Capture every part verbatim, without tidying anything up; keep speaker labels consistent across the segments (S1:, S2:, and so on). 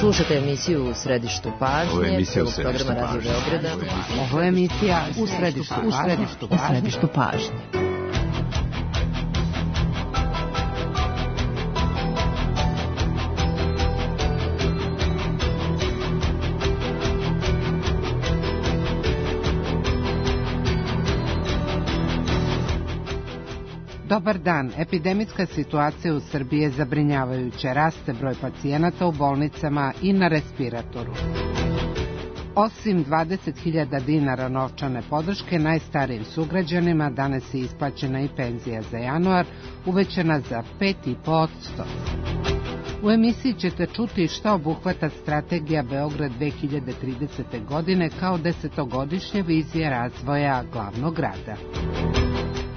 S1: Slušate emisiju U središtu pažnje, prvog programa Radio Beograda.
S2: Ovo je emisija U središtu, u središtu, u središtu pažnje. Dobar dan. Epidemijska situacija u Srbiji je zabrinjavajuća. Raste broj pacijenata u bolnicama i na respiratoru. Osim dvadeset hiljada dinara novčane podrške najstarijim sugrađanima, danas je isplaćena i penzija za januar, uvećana za pet zarez pet posto. U emisiji ćete čuti šta obuhvata strategija Beograd dve hiljade tridesete. godine kao desetogodišnja vizija razvoja glavnog grada.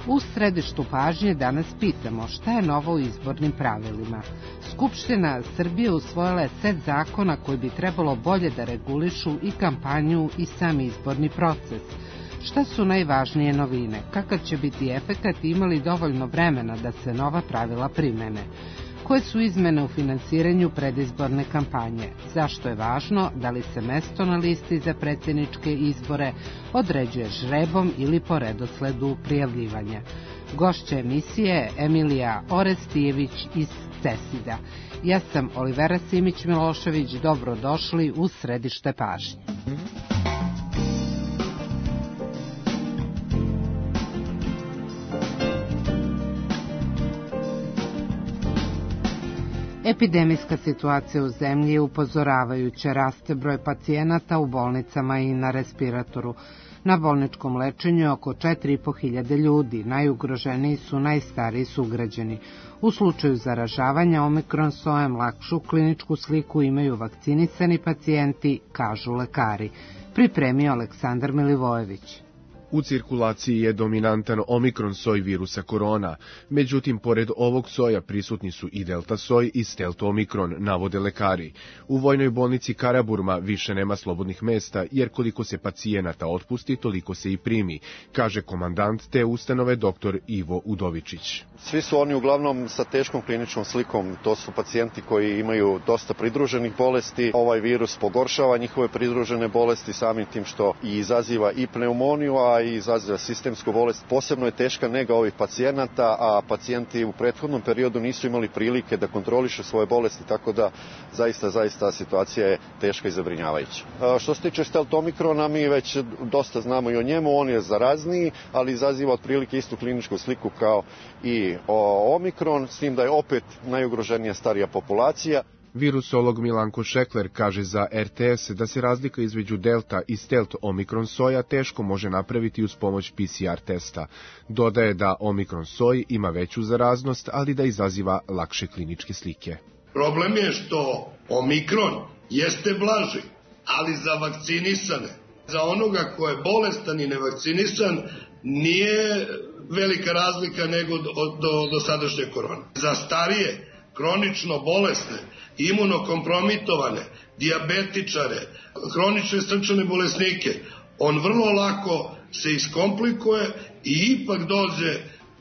S2: U središtu pažnje danas pitamo šta je novo u izbornim pravilima. Skupština Srbije usvojila je set zakona koji bi trebalo bolje da regulišu i kampanju i sam izborni proces. Šta su najvažnije novine? Kakav će biti efekat i imali dovoljno vremena da se nova pravila primene? Koje su izmene u finansiranju predizborne kampanje? Zašto je važno? Da li se mesto na listi za predsjedničke izbore određuje žrebom ili po redosledu prijavljivanja? Gošća emisije je Emilija Orestijević iz CESID-a. Ja sam Olivera Simić-Milošević, dobrodošli u središte pažnje. Epidemijska situacija u zemlji je upozoravajuća, raste broj pacijenata u bolnicama i na respiratoru. Na bolničkom lečenju je oko četiri i po hiljade ljudi, najugroženiji su najstariji sugrađani. U slučaju zaražavanja omikron sojem lakšu kliničku sliku imaju vakcinisani pacijenti, kažu lekari. Pripremio Aleksandar Milivojević.
S3: U cirkulaciji je dominantan omikron soj virusa korona, međutim, pored ovog soja prisutni su i delta soj i stelt omikron, navode lekari. U vojnoj bolnici Karaburma više nema slobodnih mesta, jer koliko se pacijenata otpusti, toliko se i primi, kaže komandant te ustanove doktor Ivo Udovičić.
S4: Svi su oni uglavnom sa teškom kliničkom slikom, to su pacijenti koji imaju dosta pridruženih bolesti. Ovaj virus pogoršava njihove pridružene bolesti samim tim što i izaziva i pneumoniju, a i izaziva sistemsku bolest. Posebno je teška nega ovih pacijenata, a pacijenti u prethodnom periodu nisu imali prilike da kontrolišu svoje bolesti, tako da zaista, zaista situacija je teška i zabrinjavajuća. Što se tiče stelt omikrona, mi već dosta znamo i o njemu, on je zarazniji, ali izaziva otprilike istu kliničku sliku kao i omikron, s tim da je opet najugroženija starija populacija.
S3: Virusolog Milanko Šekler kaže za R T S da se razlika između delta i stelt omikron soja teško može napraviti uz pomoć P C R testa. Dodaje da omikron soj ima veću zaraznost, ali da izaziva lakše kliničke slike.
S5: Problem je što omikron jeste blaži, ali za vakcinisane, za onoga ko je bolestan i nevakcinisan, nije velika razlika nego do, do, do sadašnje korone. Za starije, kronično bolesne, imunokompromitovane, dijabetičare, hronične srčane bolesnike, on vrlo lako se iskomplikuje i ipak dođe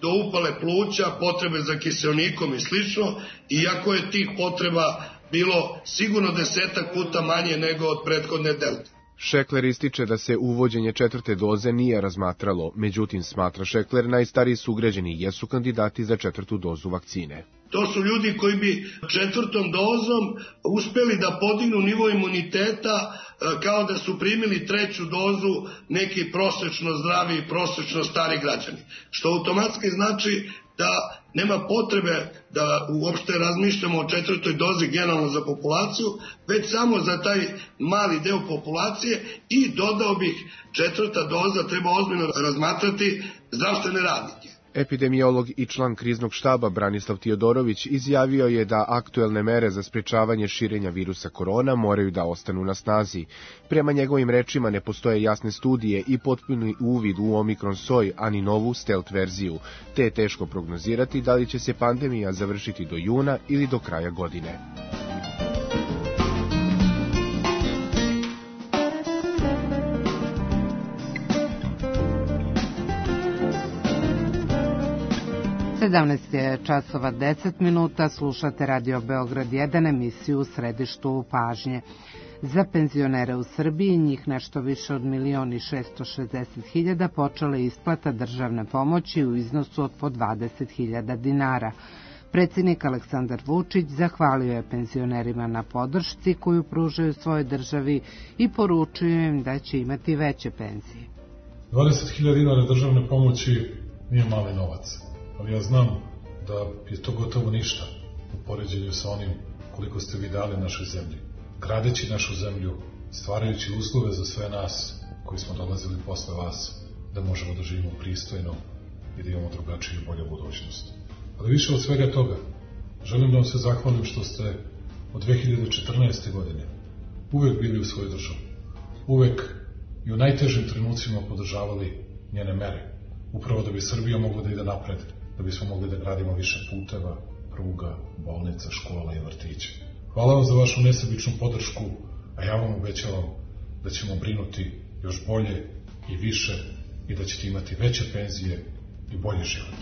S5: do upale pluća, potrebe za kiseonikom i slično, iako je tih potreba bilo sigurno desetak puta manje nego od prethodne delte.
S3: Šekler ističe da se uvođenje četvrte doze nije razmatralo, međutim, smatra Šekler, najstariji sugrađani jesu kandidati za četvrtu dozu vakcine.
S5: To su ljudi koji bi četvrtom dozom uspeli da podignu nivo imuniteta kao da su primili treću dozu neki prosečno zdravi i prosečno stari građani. Što automatski znači da nema potrebe da uopšte razmišljamo o četvrtoj dozi generalno za populaciju, već samo za taj mali deo populacije i dodao bih četvrta doza treba ozbiljno razmatrati zdravstvene radnike.
S3: Epidemiolog i član kriznog štaba Branislav Tiodorović izjavio je da aktuelne mere za sprečavanje širenja virusa korona moraju da ostanu na snazi. Prema njegovim rečima ne postoje jasne studije i potpuni uvid u omikron soj, ani novu stelt verziju, te je teško prognozirati da li će se pandemija završiti do juna ili do kraja godine.
S2: sedamnaest je časova deset minuta, slušate Radio Beograd jedan, emisiju u središtu pažnje. Za penzionere u Srbiji, njih nešto više od milion i šesto šezdeset hiljada, počela je isplata državne pomoći u iznosu od po dvadeset hiljada dinara. Predsjednik Aleksandar Vučić zahvalio je penzionerima na podršci koju pružaju svojoj državi i poručio im da će imati veće penzije.
S6: dvadeset hiljada dinara državne pomoći nije mali novac, ali ja znam da je to gotovo ništa u poređenju sa onim koliko ste vi dali našoj zemlji. Gradeći našu zemlju, stvarajući uslove za sve nas koji smo dolazili posle vas, da možemo da živimo pristojno i da imamo drugačiju i bolju budućnost. Ali više od svega toga, želim da vam se zahvalim što ste od dve hiljade četrnaeste. godine uvek bili u svojoj državi. Uvek i u najtežim trenucima podržavali njene mere. Upravo da bi Srbija mogla da ide napred, da bismo mogli da gradimo više puteva, pruga, bolnica, škola i vrtića. Hvala vam za vašu nesebičnu podršku, a ja vam obećavam da ćemo brinuti još bolje i više i da ćete imati veće penzije i bolji život.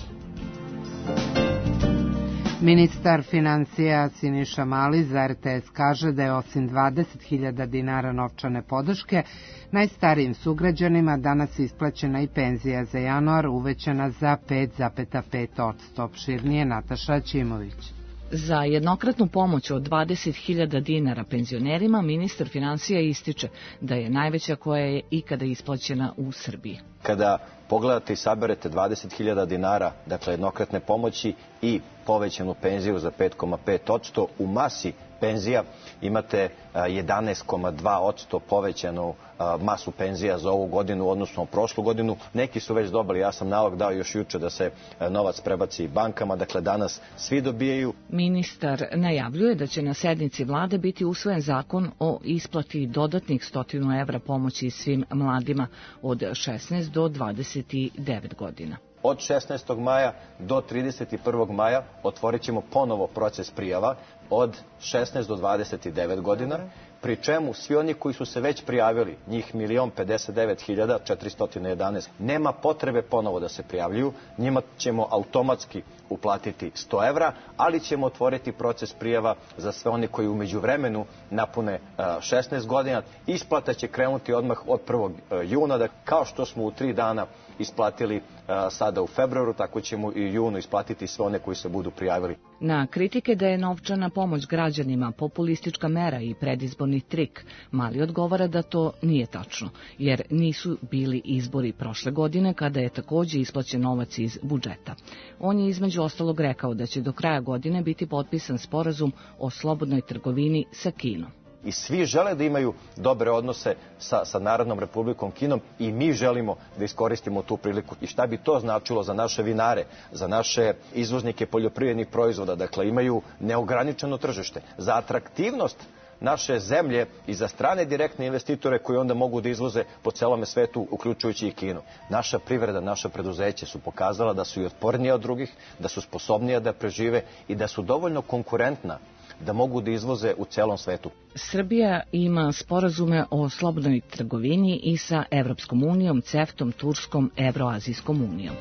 S2: Ministar financija Siniša Mali za R T S kaže da je osim dvadeset hiljada dinara novčane podrške, najstarijim sugrađanima danas isplaćena i penzija za januar uvećana za pet zarez pet posto. Opširnije Nataša Ćimović.
S7: Za jednokratnu pomoć od dvadeset hiljada dinara penzionerima ministar financija ističe da je najveća koja je ikada isplaćena u Srbiji.
S8: Kada pogledate i saberete dvadeset hiljada dinara, dakle jednokratne pomoći i povećanu penziju za pet zarez pet posto, u masi penzija imate jedanaest zarez dva posto povećanu masu penzija za ovu godinu, odnosno prošlu godinu. Neki su već dobili, ja sam nalog dao još juče da se novac prebaci bankama, dakle danas svi dobijaju.
S7: Ministar najavljuje da će na sednici vlade biti usvojen zakon o isplati dodatnih stotinu evra pomoći svim mladima od šesnaest do dvadeset devet godina.
S8: Od šesnaestog maja do trideset prvog maja otvorit ćemo ponovo proces prijava od šesnaest do dvadeset devet godina, pri čemu svi oni koji su se već prijavili, njih milion pedeset devet hiljada četiristo jedanaest, nema potrebe ponovo da se prijavljuju, njima ćemo automatski uplatiti sto evra, ali ćemo otvoriti proces prijava za sve oni koji u međuvremenu napune šesnaest godina. Isplata će krenuti odmah od prvog juna, da kao što smo u tri dana isplatili sada u februaru, tako ćemo i u junu isplatiti sve one koji se budu prijavili.
S7: Na kritike da je novčana pomoć građanima populistička mera i predizborni trik, Mali odgovara da to nije tačno, jer nisu bili izbori prošle godine kada je takođe isplaćen novac iz budžeta. On je između ostalog rekao da će do kraja godine biti potpisan sporazum o slobodnoj trgovini sa Kinom.
S8: I svi žele da imaju dobre odnose sa, sa Narodnom Republikom Kinom i mi želimo da iskoristimo tu priliku. I šta bi to značilo za naše vinare, za naše izvoznike poljoprivrednih proizvoda, dakle imaju neograničeno tržište, za atraktivnost naše zemlje i za strane direktne investitore koji onda mogu da izvoze po celome svetu, uključujući i Kinu. Naša privreda, naša preduzeće su pokazala da su i otpornije od drugih, da su sposobnije da prežive i da su dovoljno konkurentna da mogu da izvoze u celom svetu.
S7: Srbija ima sporazume o slobodnoj trgovini i sa Evropskom unijom, CEFTA-om, Turskom, Evroazijskom unijom.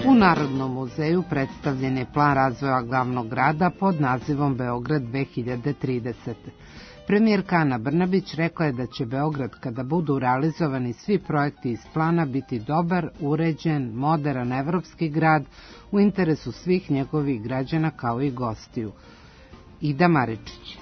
S2: U Narodnom muzeju predstavljen je plan razvoja glavnog grada pod nazivom Beograd dve hiljade tridesete. Premijerka Ana Brnabić rekla je da će Beograd, kada budu realizovani svi projekti iz plana, biti dobar, uređen, moderan evropski grad u interesu svih njegovih građana kao i gostiju. Ida Maričić.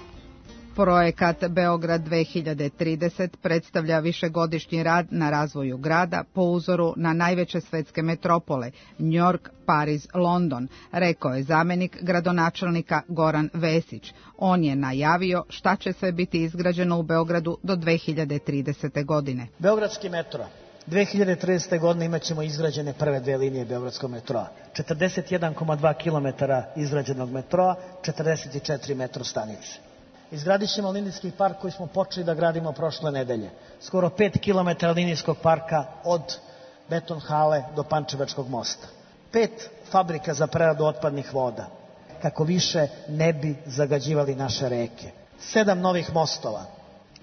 S9: Projekat Beograd dve hiljade trideset predstavlja višegodišnji rad na razvoju grada po uzoru na najveće svetske metropole Njork, Pariz, London, rekao je zamenik gradonačelnika Goran Vesić. On je najavio šta će sve biti izgrađeno u Beogradu do dve hiljade tridesete. godine.
S10: Beogradski metro. dve hiljade tridesete. godine imat ćemo izgrađene prve dve linije Beogradskog metroa. četrdeset jedan zarez dva kilometara izgrađenog metroa, četrdeset četiri metro stanice. Izgradit ćemo linijski park koji smo počeli da gradimo prošle nedelje. Skoro pet kilometara linijskog parka od beton hale do Pančevačkog mosta. Pet fabrika za preradu otpadnih voda, kako više ne bi zagađivali naše reke. Sedam novih mostova,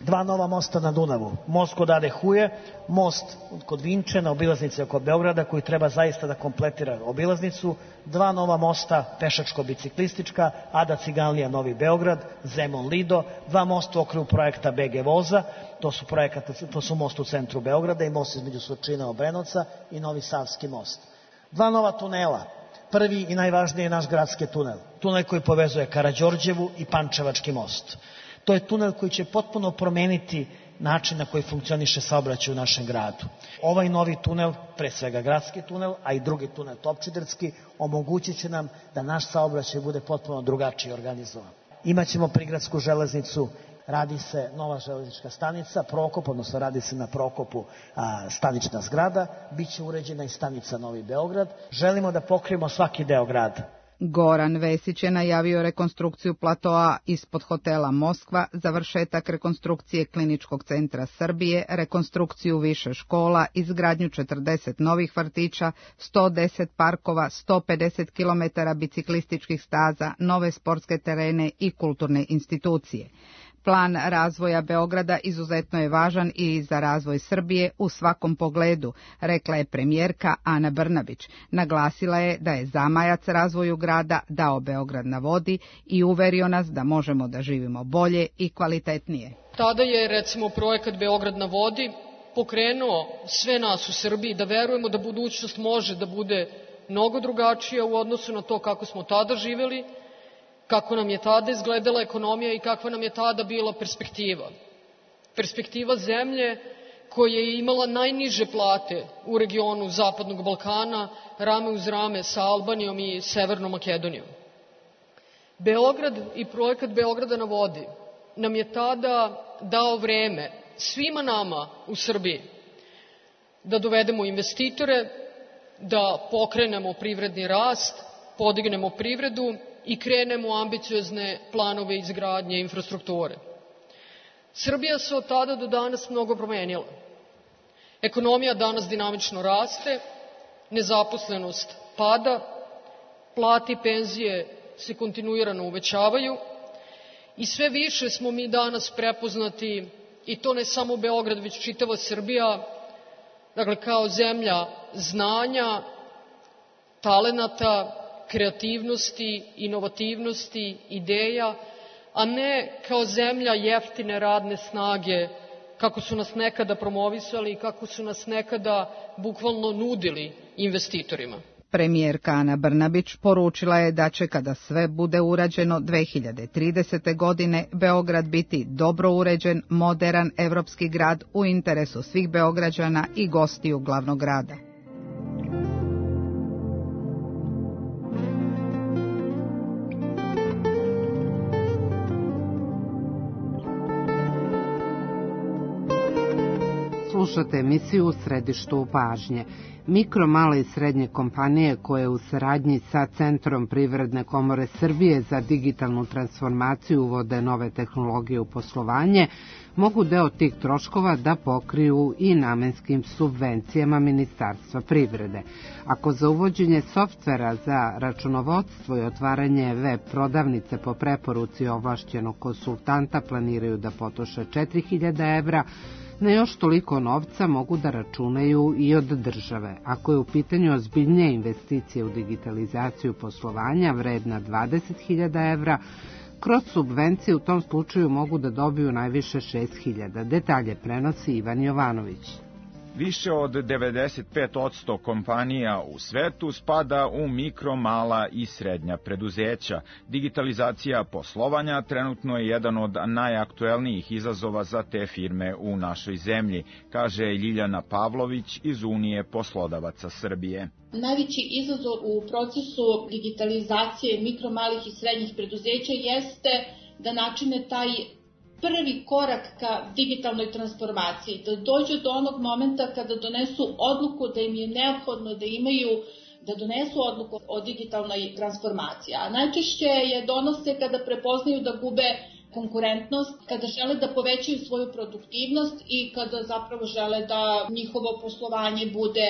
S10: dva nova mosta na Dunavu, most kod Ade Huje, most kod Vinče na obilaznici oko Beograda koji treba zaista da kompletira obilaznicu, dva nova mosta pešačko-biciklistička, Ada Ciganlija Novi Beograd, Zemun Lido, dva mosta u okviru projekta B G Voza, to su, projekata, to su most u centru Beograda i most između Surčina i Obrenovca i Novi Savski most. Dva nova tunela, prvi i najvažniji je naš gradski tunel, tunel koji povezuje Karađorđevu i Pančevački most. To je tunel koji će potpuno promeniti način na koji funkcioniše saobraćaj u našem gradu. Ovaj novi tunel, pre svega gradski tunel, a i drugi tunel Topčiderski, omogućit će nam da naš saobraćaj bude potpuno drugačiji organizovan. Imaćemo prigradsku železnicu, radi se nova železnička stanica, Prokop, odnosno radi se na Prokopu a, stanična zgrada, bit će uređena i stanica Novi Beograd. Želimo da pokrijemo svaki deo grada.
S9: Goran Vesić je najavio rekonstrukciju platoa ispod hotela Moskva, završetak rekonstrukcije Kliničkog centra Srbije, rekonstrukciju više škola, izgradnju četrdeset novih vrtića, sto deset parkova, sto pedeset kilometara biciklističkih staza, nove sportske terene i kulturne institucije. Plan razvoja Beograda izuzetno je važan i za razvoj Srbije u svakom pogledu, rekla je premijerka Ana Brnabić. Naglasila je da je zamajac razvoju grada dao Beograd na vodi i uverio nas da možemo da živimo bolje i kvalitetnije.
S11: Tada je, recimo, projekat Beograd na vodi pokrenuo sve nas u Srbiji da verujemo da budućnost može da bude mnogo drugačija u odnosu na to kako smo tada živeli, kako nam je tada izgledala ekonomija i kakva nam je tada bila perspektiva. Perspektiva zemlje koja je imala najniže plate u regionu Zapadnog Balkana, rame uz rame sa Albanijom i Severnom Makedonijom. Beograd i projekat Beograda na vodi nam je tada dao vreme svima nama u Srbiji da dovedemo investitore, da pokrenemo privredni rast, podignemo privredu i krenemo u ambiciozne planove izgradnje infrastrukture. Srbija se od tada do danas mnogo promenila. Ekonomija danas dinamično raste, nezaposlenost pada, plate i penzije se kontinuirano uvećavaju i sve više smo mi danas prepoznati, i to ne samo Beograd, već čitava Srbija, dakle kao zemlja znanja, talenata, kreativnosti, inovativnosti, ideja, a ne kao zemlja jeftine radne snage, kako su nas nekada promovisali i kako su nas nekada bukvalno nudili investitorima.
S9: Premijerka Ana Brnabić poručila je da će, kada sve bude urađeno dve hiljade tridesete. godine, Beograd biti dobro uređen, moderan evropski grad u interesu svih Beograđana i gostiju glavnog grada.
S2: Slušate emisiju U središtu pažnje. Mikro, male i srednje kompanije koje u saradnji sa Centrom Privredne komore Srbije za digitalnu transformaciju uvode nove tehnologije u poslovanje, mogu deo tih troškova da pokriju i namenskim subvencijama Ministarstva privrede. Ako za uvođenje softvera za računovodstvo i otvaranje web prodavnice po preporuci ovlašćenog konsultanta planiraju da potroše četiri hiljade evra, na još toliko novca mogu da računaju i od države. Ako je u pitanju ozbiljnije investicije u digitalizaciju poslovanja vredna dvadeset hiljada evra, kroz subvencije u tom slučaju mogu da dobiju najviše šest hiljada. Detalje prenosi Ivan Jovanović.
S12: Više od devedeset pet posto kompanija u svetu spada u mikro, mala i srednja preduzeća. Digitalizacija poslovanja trenutno je jedan od najaktuelnijih izazova za te firme u našoj zemlji, kaže Ljiljana Pavlović iz Unije poslodavaca Srbije.
S13: Najveći izazov u procesu digitalizacije mikro, malih i srednjih preduzeća jeste da načine taj prvi korak ka digitalnoj transformaciji, da dođu do onog momenta kada donesu odluku da im je neophodno da imaju, da donesu odluku o digitalnoj transformaciji. A najčešće je donose kada prepoznaju da gube konkurentnost, kada žele da povećaju svoju produktivnost i kada zapravo žele da njihovo poslovanje bude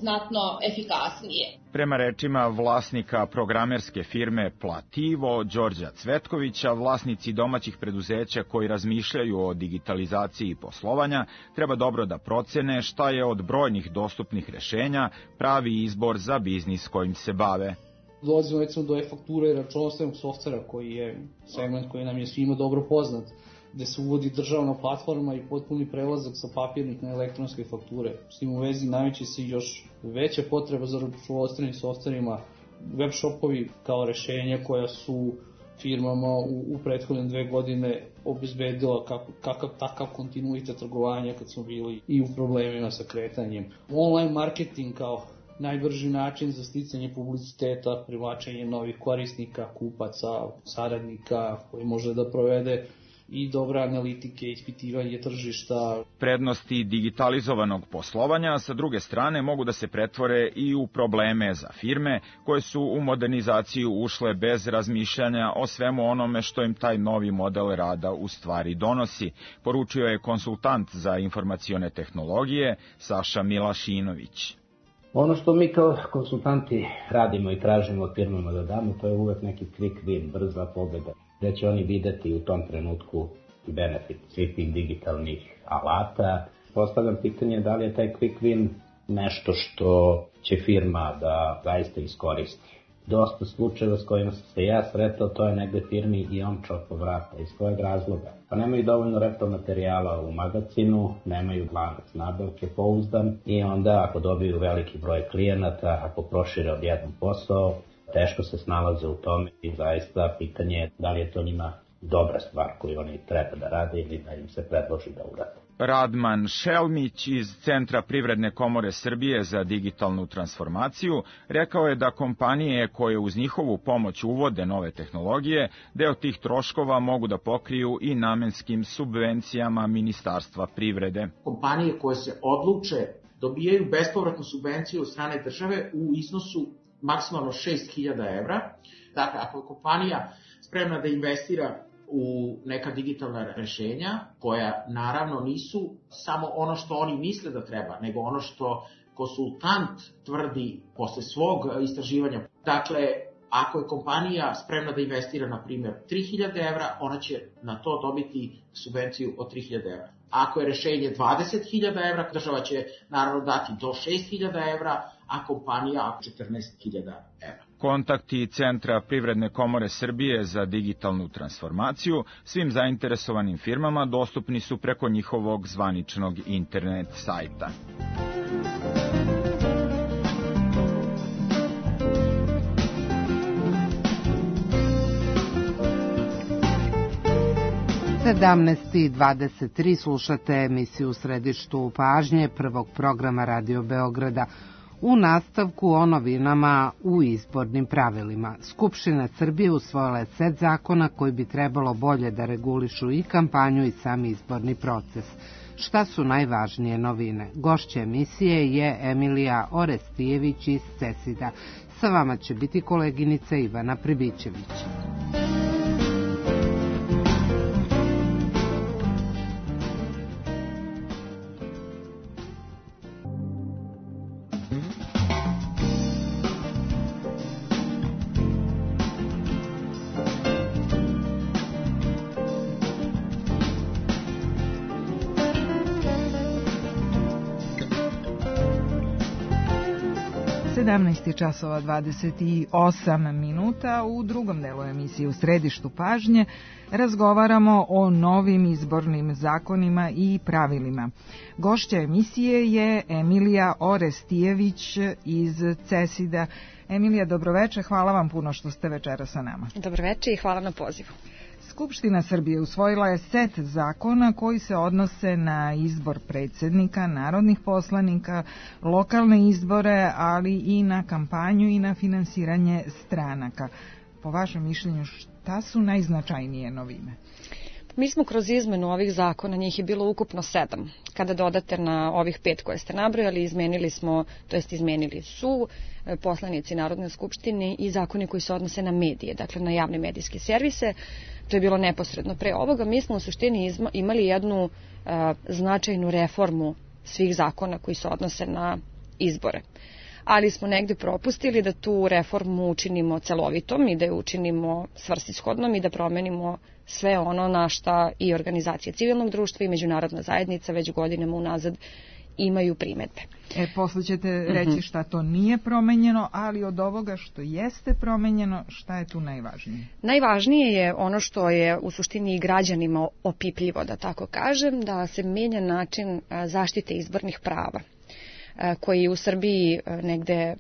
S13: znatno efikasnije.
S12: Prema rečima vlasnika programerske firme Plativo, Đorđa Cvetkovića, vlasnici domaćih preduzeća koji razmišljaju o digitalizaciji poslovanja treba dobro da procene šta je od brojnih dostupnih rešenja pravi izbor za biznis kojim se bave.
S14: Dolazimo recimo do e-fakture i računovodstvenog softvera koji je segment koji nam je svima dobro poznat, gde se uvodi državna platforma i potpuni prelazak sa papirnih na elektronske fakture. S tim u vezi nameće se još veća potreba za računovodstvenim softverima, web shopovi kao rešenja koja su firmama u, u prethodne dve godine obezbedila kako, kakav takav kontinuitet trgovanja kad smo bili i u problemima sa kretanjem. Online marketing kao najbrži način za sticanje publiciteta, privlačenje novih korisnika, kupaca, saradnika koji može da provede i dobre analitike, ispitivanje tržišta.
S12: Prednosti digitalizovanog poslovanja sa druge strane mogu da se pretvore i u probleme za firme koje su u modernizaciju ušle bez razmišljanja o svemu onome što im taj novi model rada u stvari donosi, poručio je konsultant za informacione tehnologije Saša Milašinović.
S15: Ono što mi kao konsultanti radimo i tražimo od firmama da damo, to je uvek neki quick win, brza pobeda, gde će oni videti u tom trenutku benefit svih tih digitalnih alata. Postavljam pitanje da li je taj quick win nešto što će firma da zaista iskoristi. Dosta slučajeva s kojima sam se ja sretao, to je negde firmi i omčao po vrata. Iz kojeg razloga? Pa nemaju dovoljno repromaterijala u magazinu, nemaju lanac nabavke pouzdan i onda ako dobiju veliki broj klijenata, ako prošire odjednom posao, teško se snalaze u tome i zaista pitanje je da li je to njima dobra stvar koju oni treba da rade ili da im se predloži da urade.
S12: Radman Šelmić iz Centra Privredne komore Srbije za digitalnu transformaciju rekao je da kompanije koje uz njihovu pomoć uvode nove tehnologije, deo tih troškova mogu da pokriju i namenskim subvencijama Ministarstva privrede.
S16: Kompanije koje se odluče dobijaju bespovratnu subvenciju od strane države u iznosu maksimalno šest hiljada evra. Dakle, ako je kompanija spremna da investira u neka digitalna rešenja, koja naravno nisu samo ono što oni misle da treba, nego ono što konsultant tvrdi posle svog istraživanja. Dakle, ako je kompanija spremna da investira, na primjer, tri hiljade evra, ona će na to dobiti subvenciju od tri hiljade evra. Ako je rešenje dvadeset hiljada evra, država će naravno dati do šest hiljada evra, a kompanija četrnaest hiljada evra.
S12: Kontakti Centra Privredne komore Srbije za digitalnu transformaciju svim zainteresovanim firmama dostupni su preko njihovog zvaničnog internet sajta.
S2: sedamnaest i dvadeset tri slušate emisiju u središtu pažnje prvog programa Radio Beograda. U nastavku o novinama u izbornim pravilima. Skupština Srbije usvojila je set zakona koji bi trebalo bolje da regulišu i kampanju i sam izborni proces. Šta su najvažnije novine? Gošća emisije je Emilija Orestijević iz Cesida. Sa vama će biti koleginica Ivana Pribićević.
S9: sedamnaest časova dvadeset osam minuta. U drugom delu emisije u središtu pažnje razgovaramo o novim izbornim zakonima i pravilima. Gošća emisije je Emilija Orestijević iz Cesida. Emilija, dobroveče, hvala vam puno što ste večera sa nama.
S17: Dobroveče i hvala na pozivu.
S9: Skupština Srbije usvojila je set zakona koji se odnose na izbor predsjednika, narodnih poslanika, lokalne izbore, ali i na kampanju i na finansiranje stranaka. Po vašem mišljenju, šta su najznačajnije novine?
S17: Mi smo kroz izmenu ovih zakona, njih je bilo ukupno sedam. Kada dodate na ovih pet koje ste nabrojali, izmenili smo, to jest izmenili su poslanici Narodne skupštine i zakoni koji se odnose na medije, dakle na javne medijske servise. To je bilo neposredno pre ovoga. Mi smo u suštini imali jednu a, značajnu reformu svih zakona koji se odnose na izbore. Ali smo negde propustili da tu reformu učinimo celovitom i da je učinimo svrsishodnom i da promenimo sve ono na šta i organizacije civilnog društva i međunarodna zajednica već godinama unazad imaju primedbe.
S18: E, posle ćete reći šta to nije promenjeno, ali od ovoga što jeste promenjeno, šta je tu najvažnije?
S17: Najvažnije je ono što je u suštini i građanima opipljivo, da tako kažem, da se menja način zaštite izbornih prava, koji je u Srbiji negde,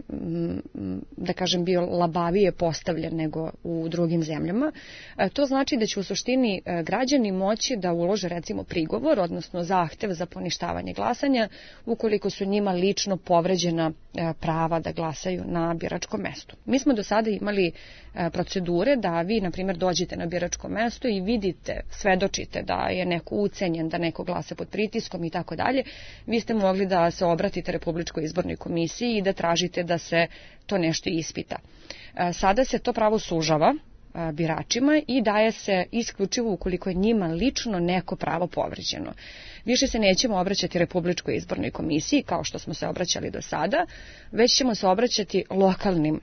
S17: da kažem, bio labavije postavljen nego u drugim zemljama. To znači da će u suštini građani moći da ulože recimo prigovor, odnosno zahtev za poništavanje glasanja, ukoliko su njima lično povređena prava da glasaju na biračkom mestu. Mi smo do sada imali procedure da vi, na primjer, dođete na biračko mesto i vidite, svedočite da je neko ucenjen, da neko glasa pod pritiskom i tako dalje. Vi ste mogli da se obratite Republičkoj izbornoj komisiji i da tražite da se to nešto ispita. Sada se to pravo sužava biračima i daje se isključivo ukoliko je njima lično neko pravo povređeno. Više se nećemo obraćati Republičkoj izbornoj komisiji kao što smo se obraćali do sada, već ćemo se obraćati lokalnim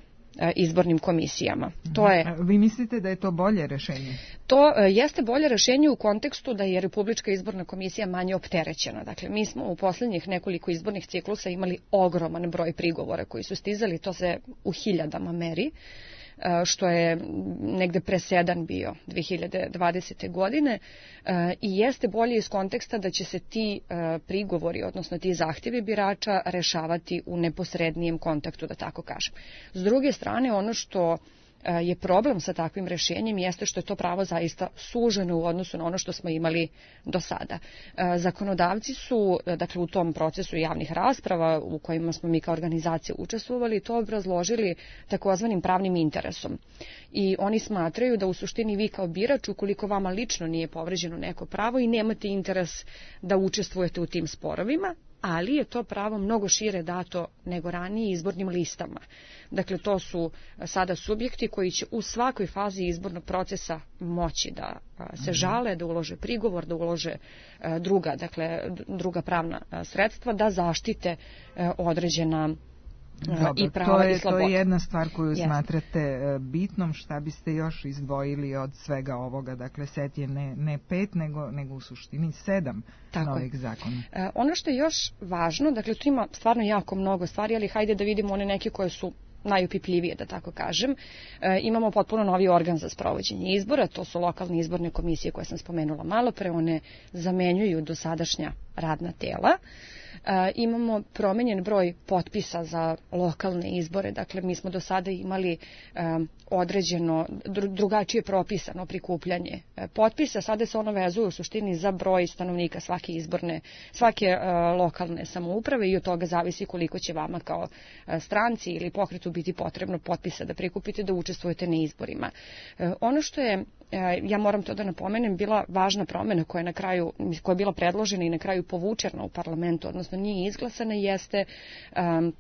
S17: izbornim komisijama. To je,
S18: Vi mislite da je to bolje rešenje?
S17: To jeste bolje rešenje u kontekstu da je Republička izborna komisija manje opterećena. Dakle, mi smo u poslednjih nekoliko izbornih ciklusa imali ogroman broj prigovora koji su stizali, to se u hiljadama meri, što je negde presedan bio dve hiljade dvadesete. godine i jeste bolje iz konteksta da će se ti prigovori, odnosno ti zahtevi birača rešavati u neposrednijem kontaktu, da tako kažem. S druge strane, ono što je problem sa takvim rešenjem jeste što je to pravo zaista suženo u odnosu na ono što smo imali do sada. Zakonodavci su, dakle, u tom procesu javnih rasprava u kojima smo mi kao organizacija učestvovali, to obrazložili takozvanim pravnim interesom. I oni smatraju da u suštini vi kao birač, ukoliko vama lično nije povređeno neko pravo i nemate interes da učestvujete u tim sporovima, ali je to pravo mnogo šire dato nego ranije izbornim listama. Dakle, to su sada subjekti koji će u svakoj fazi izbornog procesa moći da se žale, da ulože prigovor, da ulože druga, dakle, druga pravna sredstva, da zaštite određena
S18: Dobro,
S17: i prava
S18: to je,
S17: i slobode.
S18: To je jedna stvar koju
S17: Jeste.
S18: smatrate bitnom. Šta biste još izdvojili od svega ovoga? Dakle, set je ne, ne pet, nego, nego u suštini sedam
S17: Tako
S18: novih zakona.
S17: E, ono što je još važno, dakle, tu ima stvarno jako mnogo stvari, ali hajde da vidimo one neke koje su najupipljivije, da tako kažem. E, imamo potpuno novi organ za sprovođenje izbora, to su lokalne izborne komisije koje sam spomenula malo pre, one zamenjuju dosadašnja radna tela. E, imamo promenjen broj potpisa za lokalne izbore, dakle mi smo do sada imali e, određeno, drugačije propisano prikupljanje e, potpisa, sada se ono vezuje u suštini za broj stanovnika svake izborne, svake e, lokalne samouprave i od toga zavisi koliko će vama kao e, stranci ili pokretu biti potrebno potpisa da prikupite da učestvujete na izborima. E, ono što je, e, ja moram to da napomenem, bila važna promena koja je na kraju, koja je bila predložena i na kraju povučena u parlamentu, odnosno nije izglasana, jeste um,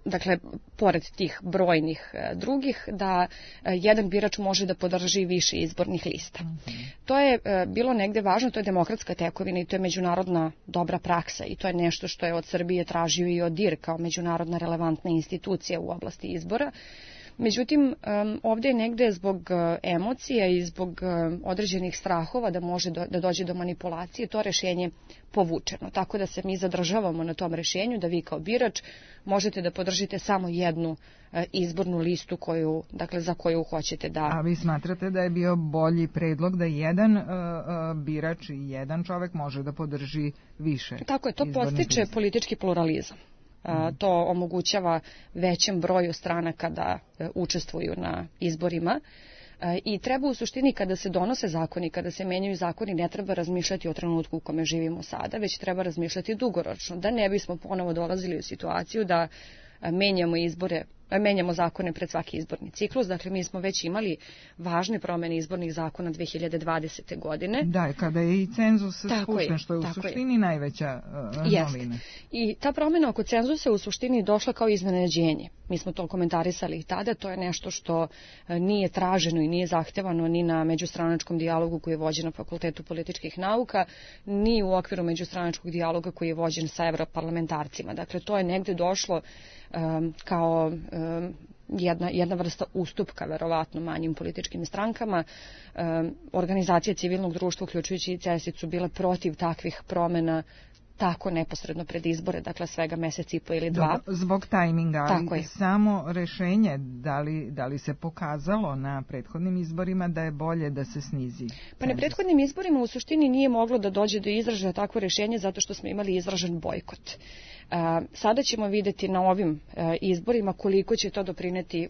S17: dakle, pored tih brojnih e, drugih, da e, jedan birač može da podrži više izbornih lista. Mm-hmm. To je e, bilo negde važno, to je demokratska tekovina i to je međunarodna dobra praksa i to je nešto što je od Srbije tražio i od D I R kao međunarodna relevantna institucija u oblasti izbora. Međutim, ovdje je negde zbog emocija i zbog određenih strahova da može da dođe do manipulacije to rešenje povučeno. Tako da se mi zadržavamo na tom rešenju da vi kao birač možete da podržite samo jednu izbornu listu koju, dakle, za koju hoćete da...
S18: A vi smatrate da je bio bolji predlog da jedan uh, uh, birač i jedan čovek može da podrži više?
S17: Tako je, to podstiče lista. Politički pluralizam. To omogućava većem broju stranaka da učestvuju na izborima i treba u suštini kada se donose zakoni, kada se menjaju zakoni, ne treba razmišljati o trenutku u kome živimo sada, već treba razmišljati dugoročno, da ne bismo ponovo dolazili u situaciju da menjamo izbore menjamo zakone pred svaki izborni ciklus. Dakle, mi smo već imali važne promene izbornih zakona dve hiljade dvadesete. godine.
S18: Da, kada je i cenzus spušten, što je u suštini je. najveća uh, novina.
S17: I ta promena oko cenzusa u suštini došla kao iznenađenje. Mi smo to komentarisali i tada, to je nešto što nije traženo i nije zahtevano ni na međustranačkom dijalogu koji je vođen na Fakultetu političkih nauka, ni u okviru međustranačkog dijaloga koji je vođen sa evroparlamentarcima. Dakle, to je negde došlo um, kao um, jedna, jedna vrsta ustupka, verovatno, manjim političkim strankama. Um, organizacije civilnog društva, uključujući i C E S I, su bile protiv takvih promena tako neposredno pred izbore, dakle svega mesec i po ili dva.
S18: Dobro, zbog tajminga, ali samo rešenje, da li, da li se pokazalo na prethodnim izborima da je bolje da se snizi?
S17: Pa na prethodnim izborima u suštini nije moglo da dođe do izražaja takvo rešenje zato što smo imali izražen bojkot. Sada ćemo videti na ovim izborima koliko će to doprineti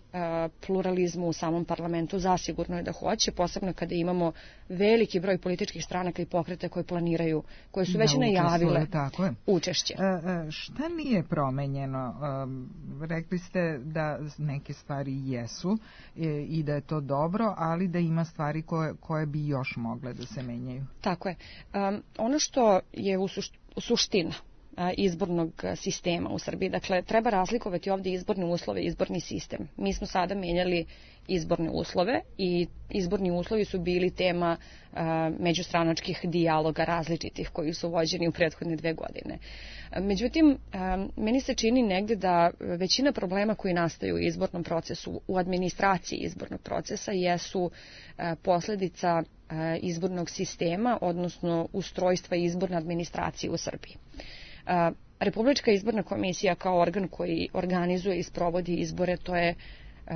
S17: pluralizmu u samom parlamentu. Zasigurno je da hoće, posebno kada imamo veliki broj političkih stranaka i pokreta koje planiraju, koje su već da, najavile
S18: tako je.
S17: učešće.
S18: E, šta nije promenjeno? E, rekli ste da neke stvari jesu e, i da je to dobro, ali da ima stvari koje, koje bi još mogle da se menjaju.
S17: Tako je. Um, ono što je u, sušt, u suština izbornog sistema u Srbiji. Dakle, treba razlikovati ovdje izborne uslove i izborni sistem. Mi smo sada menjali izborne uslove i izborni uslovi su bili tema uh, međustranačkih dijaloga različitih koji su vođeni u prethodne dve godine. Međutim, um, meni se čini negde da većina problema koji nastaju u izbornom procesu, u administraciji izbornog procesa, jesu uh, posljedica uh, izbornog sistema, odnosno ustrojstva izborne administracije u Srbiji. Uh, Republička izborna komisija kao organ koji organizuje i sprovodi izbore, to je uh,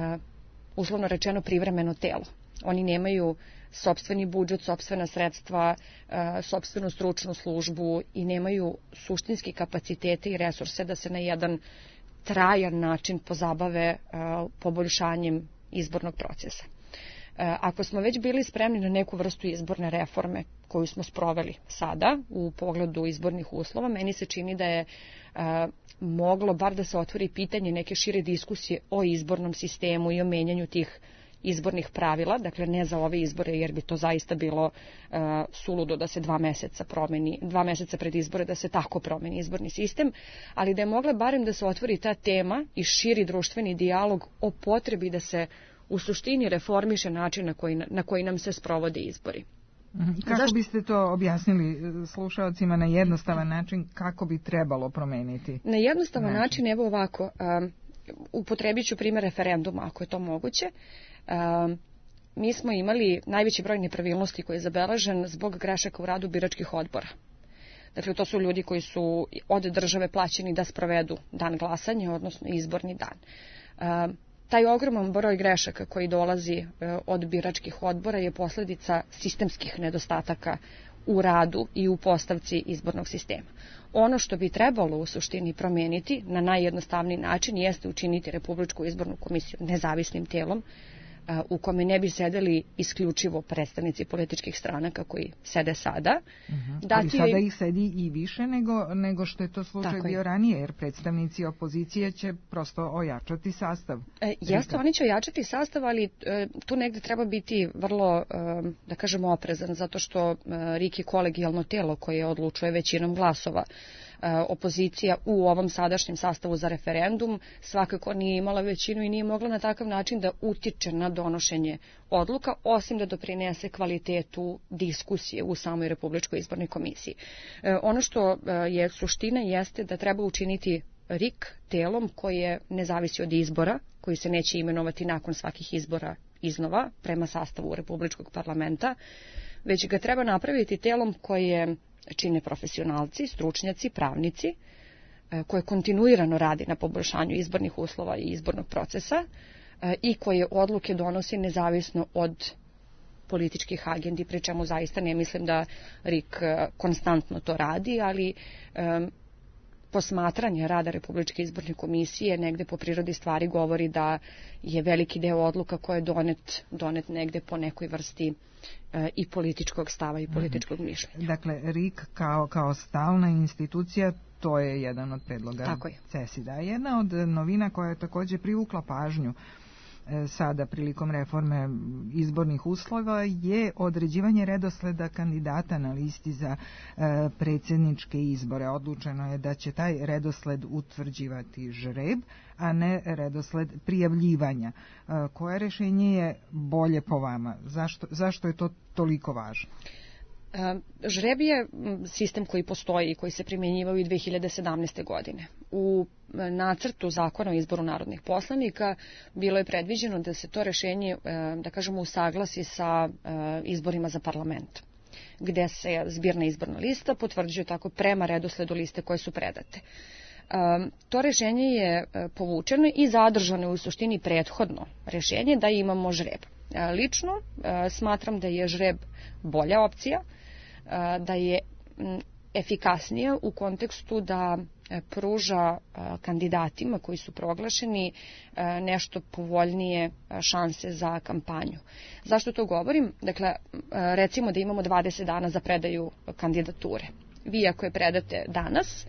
S17: uslovno rečeno privremeno telo. Oni nemaju sopstveni budžet, sopstvena sredstva, uh, sopstvenu stručnu službu i nemaju suštinski kapacitete i resurse da se na jedan trajan način pozabave uh, poboljšanjem izbornog procesa. Ako smo već bili spremni na neku vrstu izborne reforme koju smo sproveli sada u pogledu izbornih uslova, meni se čini da je a, moglo bar da se otvori pitanje neke šire diskusije o izbornom sistemu i o menjanju tih izbornih pravila, dakle ne za ove izbore jer bi to zaista bilo uh, suludo da se dva meseca promeni, dva meseca pred izbore da se tako promeni izborni sistem, ali da je mogla barem da se otvori ta tema i širi društveni dijalog o potrebi da se u suštini reformiše način na koji, na koji nam se sprovode izbori.
S18: Kako Zašto? biste to objasnili slušalcima na jednostavan način, kako bi trebalo promeniti?
S17: Na jednostavan način, način evo ovako, um, upotrebit ću primjer referenduma ako je to moguće. Um, mi smo imali najveći broj nepravilnosti koji je zabeležen zbog grešaka u radu biračkih odbora. Dakle, to su ljudi koji su od države plaćeni da sprovedu dan glasanja, odnosno izborni dan. Um, Taj ogroman broj grešaka koji dolazi od biračkih odbora je posljedica sistemskih nedostataka u radu i u postavci izbornog sistema. Ono što bi trebalo u suštini promijeniti na najjednostavniji način jeste učiniti Republičku izbornu komisiju nezavisnim tijelom u kome ne bi sedeli isključivo predstavnici političkih stranaka koji sede sada.
S18: Uh-huh. Ali sada ih sedi i više nego, nego što je to slučaj Tako bio je. ranije, jer predstavnici opozicije će prosto ojačati sastav.
S17: E, jeste, oni će ojačati sastav, ali e, tu negde treba biti vrlo, e, da kažemo, oprezan, zato što e, R I K je kolegijalno tijelo koje odlučuje većinom glasova. Opozicija u ovom sadašnjem sastavu za referendum svakako nije imala većinu i nije mogla na takav način da utiče na donošenje odluka, osim da doprinese kvalitetu diskusije u samoj Republičkoj izbornoj komisiji. Ono što je suština jeste da treba učiniti R I K telom koje ne zavisi od izbora, koji se neće imenovati nakon svakih izbora iznova prema sastavu Republičkog parlamenta, već ga treba napraviti telom koje čine profesionalci, stručnjaci, pravnici, koje kontinuirano radi na poboljšanju izbornih uslova i izbornog procesa i koje odluke donosi nezavisno od političkih agendi, pri čemu zaista ne mislim da R I K konstantno to radi, ali um, posmatranje rada Republičke izborne komisije negde po prirodi stvari govori da je veliki deo odluka koje je donet, donet negde po nekoj vrsti e, i političkog stava i političkog mišljenja.
S18: Dakle, R I K kao, kao stalna institucija, to je jedan od predloga CESID-a. Jedna od novina koja je takođe privukla pažnju sada prilikom reforme izbornih uslova je određivanje redosleda kandidata na listi za e, predsjedničke izbore. Odlučeno je da će taj redosled utvrđivati žreb, a ne redosled prijavljivanja. E, koje rešenje je bolje po vama? Zašto, zašto je to toliko važno?
S17: Žreb je sistem koji postoji i koji se primjenjivao i dve hiljade sedamnaeste. godine. U nacrtu zakona o izboru narodnih poslanika bilo je predviđeno da se to rešenje, da kažemo, usaglasi sa izborima za parlament, gde se zbirna izborna lista potvrđuje tako prema redosledu liste koje su predate. To rešenje je povučeno i zadržano je u suštini prethodno rešenje da imamo žreb. Lično smatram da je žreb bolja opcija, da je efikasnija u kontekstu da pruža kandidatima koji su proglašeni nešto povoljnije šanse za kampanju. Zašto to govorim? Dakle, recimo da imamo dvadeset dana za predaju kandidature. Vi ako je predate danas,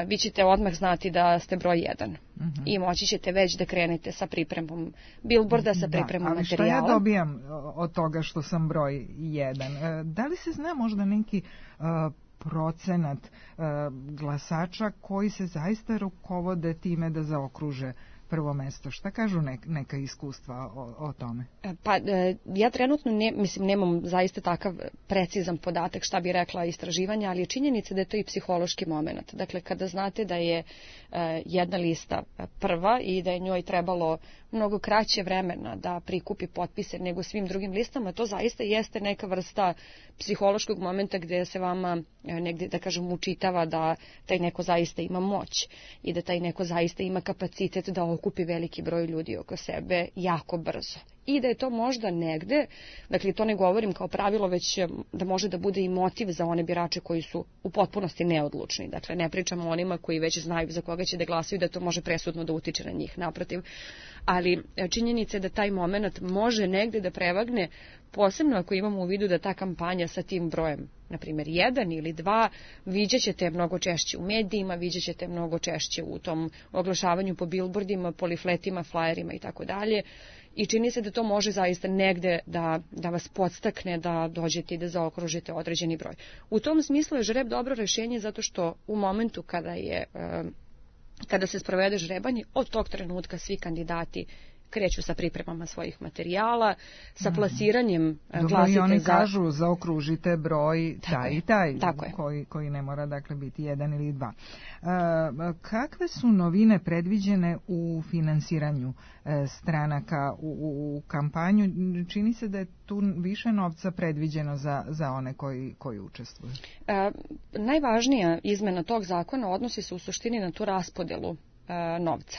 S17: vi ćete odmah znati da ste broj jedan. Uh-huh. I moći ćete već da krenete sa pripremom bilborda, sa pripremom da, ali materijala.
S18: Ali šta ja dobijam od toga što sam broj jedan? Da li se zna možda neki uh, procenat uh, glasača koji se zaista rukovode time da zaokruže prvo mesto? Šta kažu nek, neka iskustva o, o tome?
S17: Pa ja trenutno ne, mislim, nemam zaista takav precizan podatak šta bi rekla istraživanja, ali je činjenica da je to i psihološki moment. Dakle, kada znate da je jedna lista prva i da je njoj trebalo mnogo kraće vremena da prikupi potpise nego svim drugim listama, to zaista jeste neka vrsta psihološkog momenta gde se vama negde, da kažem, učitava da taj neko zaista ima moć i da taj neko zaista ima kapacitet da okupi veliki broj ljudi oko sebe jako brzo. I da je to možda negde, dakle to ne govorim kao pravilo, već da može da bude i motiv za one birače koji su u potpunosti neodlučni. Dakle, ne pričamo o onima koji već znaju za koga će da glasaju, da to može presudno da utiče na njih, naprotiv. Ali činjenica je da taj moment može negde da prevagne, posebno ako imamo u vidu da ta kampanja sa tim brojem, na primjer jedan ili dva, viđat ćete mnogo češće u medijima, viđat ćete mnogo češće u tom oglašavanju po bilbordima, po lifletima, flajerima i tako dalje. I čini se da to može zaista negde da, da vas podstakne da dođete i da zaokružite određeni broj. U tom smislu je žreb dobro rešenje zato što u momentu kada je kada se sprovede žrebanje, od tog trenutka svi kandidati kreću sa pripremama svojih materijala, sa plasiranjem
S18: Dobro,
S17: glasite
S18: i oni
S17: za...
S18: kažu zaokružite broj taj i taj,
S17: tako
S18: koji, koji ne mora dakle biti jedan ili dva. E, kakve su novine predviđene u finansiranju e, stranaka u, u, u kampanju? Čini se da je tu više novca predviđeno za, za one koji, koji učestvuju.
S17: E, najvažnija izmena tog zakona odnosi se u suštini na tu raspodelu e, novca.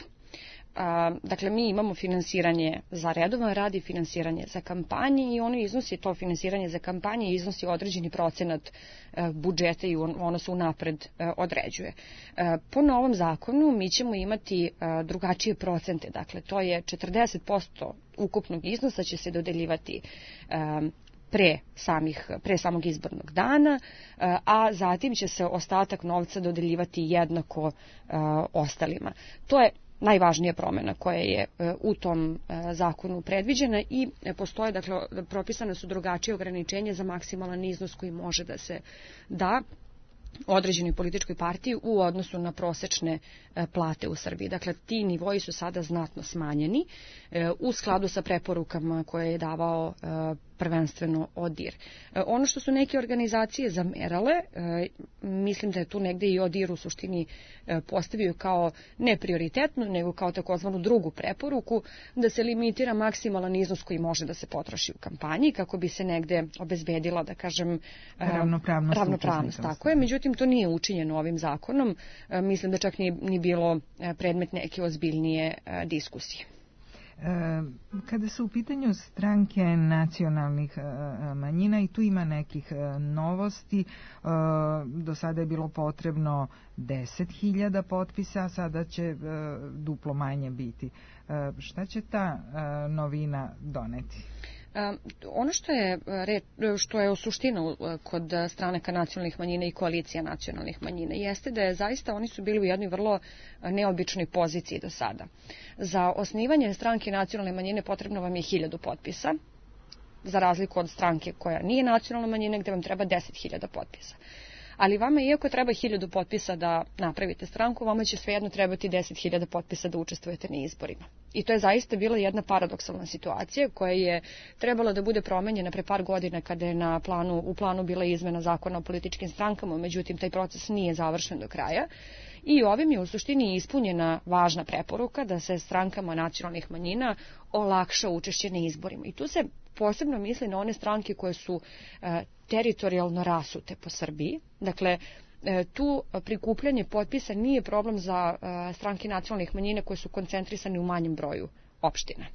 S17: Dakle, mi imamo finansiranje za redovan rad i finansiranje za kampanje i ono iznosi, to finansiranje za kampanje iznosi određeni procenat budžeta i ono se unapred određuje. Po novom zakonu mi ćemo imati drugačije procente, dakle to je četrdeset posto ukupnog iznosa će se dodeljivati pre, samih, pre samog izbornog dana, a zatim će se ostatak novca dodeljivati jednako ostalima. To je najvažnija promjena koja je u tom zakonu predviđena i postoje, dakle, propisane su drugačije ograničenje za maksimalan iznos koji može da se da određenoj političkoj partiji u odnosu na prosečne plate u Srbiji. Dakle, ti nivoji su sada znatno smanjeni u skladu sa preporukama koje je davao prvenstveno ODIR. Ono što su neke organizacije zamerale, mislim da je tu negde i ODIR u suštini postavio kao ne prioritetnu, nego kao takozvanu drugu preporuku, da se limitira maksimalan iznos koji može da se potroši u kampanji, kako bi se negde obezbedila, da kažem,
S18: ravnopravnost.
S17: ravnopravnost tako je, međutim to nije učinjeno ovim zakonom, mislim da čak ni, ni bilo predmet neke ozbiljnije diskusije.
S18: Kada su u pitanju stranke nacionalnih manjina, i tu ima nekih novosti, do sada je bilo potrebno deset hiljada potpisa, sada će duplo manje biti. Šta će ta novina doneti?
S17: Ono što je, što je u suštinu kod stranaka nacionalnih manjina i koalicija nacionalnih manjina jeste da je zaista oni su bili u jednoj vrlo neobičnoj poziciji do sada. Za osnivanje stranke nacionalne manjine potrebno vam je hiljadu potpisa, za razliku od stranke koja nije nacionalna manjina gde vam treba deset hiljada potpisa. Ali vama, iako treba hiljadu potpisa da napravite stranku, vama će svejedno trebati deset hiljada potpisa da učestvujete na izborima. I to je zaista bila jedna paradoksalna situacija koja je trebala da bude promenjena pre par godina kada je na planu, u planu bila izmena zakona o političkim strankama, međutim taj proces nije završen do kraja. I ovim je u suštini ispunjena važna preporuka da se strankama nacionalnih manjina olakša učešće na izborima. I tu se posebno misli na one stranke koje su e, teritorijalno rasute po Srbiji. Dakle, e, tu prikupljanje potpisa nije problem za e, stranke nacionalnih manjina koje su koncentrisane u manjem broju opština.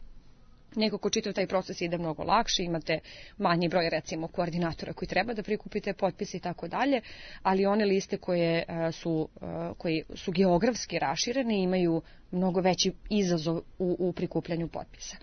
S17: Neko ko čitav taj proces ide mnogo lakše, imate manji broj recimo koordinatora koji treba da prikupite potpise i tako dalje, ali one liste koje su, koji su geografski raširene imaju mnogo veći izazov u, u prikupljanju potpisa.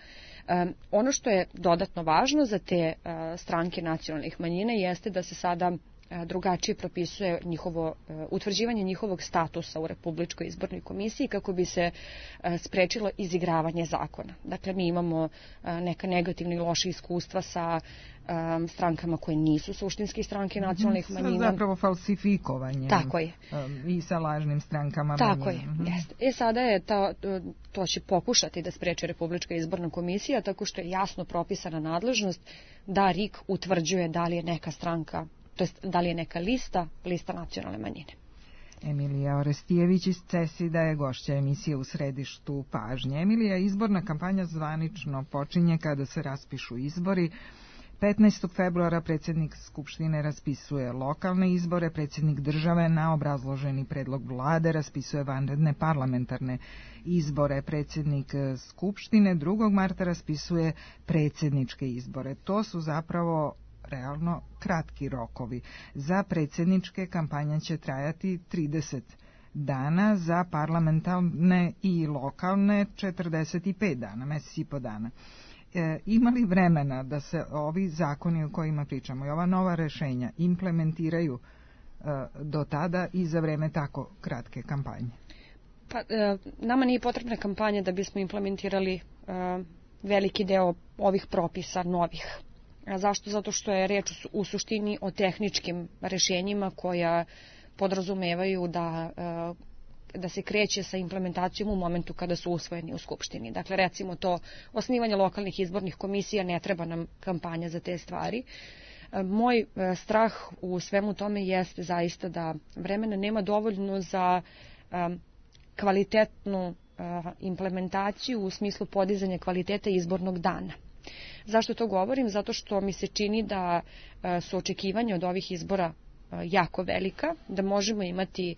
S17: Um, ono što je dodatno važno za te uh, stranke nacionalnih manjina jeste da se sada uh, drugačije propisuje njihovo, uh, utvrđivanje njihovog statusa u Republičkoj izbornoj komisiji kako bi se uh, sprečilo izigravanje zakona. Dakle, mi imamo uh, neka negativna i loša iskustva sa um, strankama koje nisu suštinski stranke nacionalnih manjina.
S18: Zapravo falsifikovanje.
S17: Tako je.
S18: Um, I sa lažnim strankama
S17: Tako
S18: manjina.
S17: je, mm-hmm. jeste. E sada je ta, to će pokušati da spreči Republička izborna komisija tako što je jasno propisana nadležnost da R I K utvrđuje da li je neka stranka, to jest da li je neka lista, lista nacionalne manjine.
S18: Emilija Orestijević iz CESID-a je gošća emisije U središtu pažnje. Emilija, izborna kampanja zvanično počinje kada se raspišu izbori. petnaestog februara predsjednik Skupštine raspisuje lokalne izbore, predsjednik države na obrazloženi predlog vlade raspisuje vanredne parlamentarne izbore, predsjednik Skupštine drugog marta raspisuje predsjedničke izbore. To su zapravo realno kratki rokovi. Za predsjedničke kampanja će trajati trideset dana, za parlamentarne i lokalne četrdeset pet dana, mesec i po dana. E, ima li vremena da se ovi zakoni o kojima pričamo i ova nova rešenja implementiraju e, do tada i za vreme tako kratke kampanje?
S17: Pa, e, nama nije potrebna kampanja da bismo implementirali e, veliki deo ovih propisa novih. A zašto? Zato što je reč u suštini o tehničkim rešenjima koja podrazumevaju da e, da se kreće sa implementacijom u momentu kada su usvojeni u Skupštini. Dakle, recimo to osnivanje lokalnih izbornih komisija, ne treba nam kampanja za te stvari. Moj strah u svemu tome jeste zaista da vremena nema dovoljno za um, kvalitetnu uh, implementaciju u smislu podizanja kvaliteta izbornog dana. Zašto to govorim? Zato što mi se čini da uh, su očekivanja od ovih izbora uh, jako velika, da možemo imati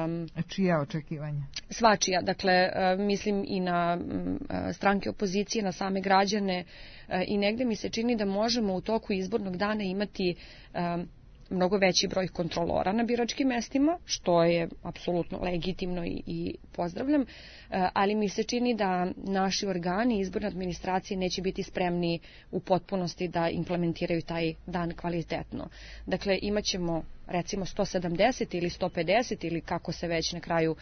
S18: Um, čija očekivanja?
S17: Svačija, dakle uh, mislim i na um, stranke opozicije, na same građane uh, i negde mi se čini da možemo u toku izbornog dana imati um, mnogo veći broj kontrolora na biračkim mestima, što je apsolutno legitimno i, i pozdravljam, ali mi se čini da naši organi izborne administracije neće biti spremni u potpunosti da implementiraju taj dan kvalitetno. Dakle, imaćemo recimo sto sedamdeset ili sto pedeset ili kako se već na kraju